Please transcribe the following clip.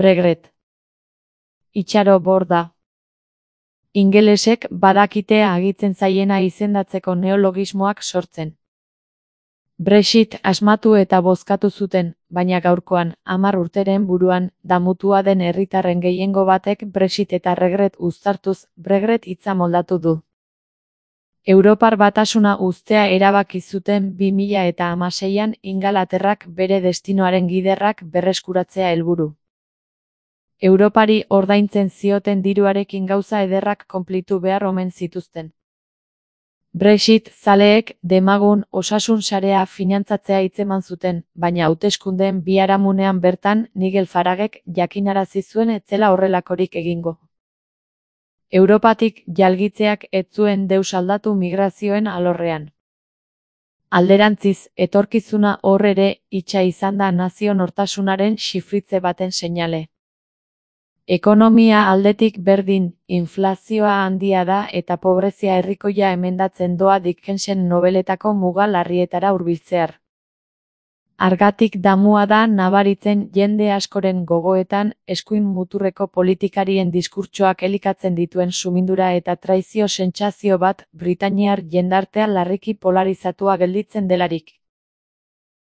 Brexit. Itxaro borda. Ingelesek badakite agitzen zaiena izendatzeko neologismoak sortzen. Brexit asmatu eta bozkatu zuten, baina gaurkoan, 10 urteren buruan, damutua den herritarren gehiengo batek Brexit eta regret uztartuz, Brexit hitza moldatu du. Europar Batasuna uztea erabaki zuten 2016an Ingalaterrak bere destinoaren giderrak berreskuratzea helburu. Europari ordaintzen zioten diruarekin gauza ederrak konplitu behar omen zituzten. Brexit zaleek demagun osasun sarea finantzatzea hitzeman zuten, baina hauteskundeen biharamunean bertan Nigel Faragek jakinarazi zuen ez zela horrelakorik egingo. Europatik jalgitzeak ez zuen deus aldatu migrazioen alorrean. Alderantziz, etorkizuna hor ere itxa izan da nazio nortasunaren xifritze baten seinale. Ekonomia aldetik berdin, inflazioa handia da eta pobrezia herrikoia emendatzen doa Dickensen nobeletako muga larrietara hurbiltzear. Argatik damua da nabaritzen jende askoren gogoetan eskuin muturreko politikarien diskurtsoak elikatzen dituen sumindura eta traizio sentsazio bat britainiar jendartea larriki polarizatua gelditzen delarik.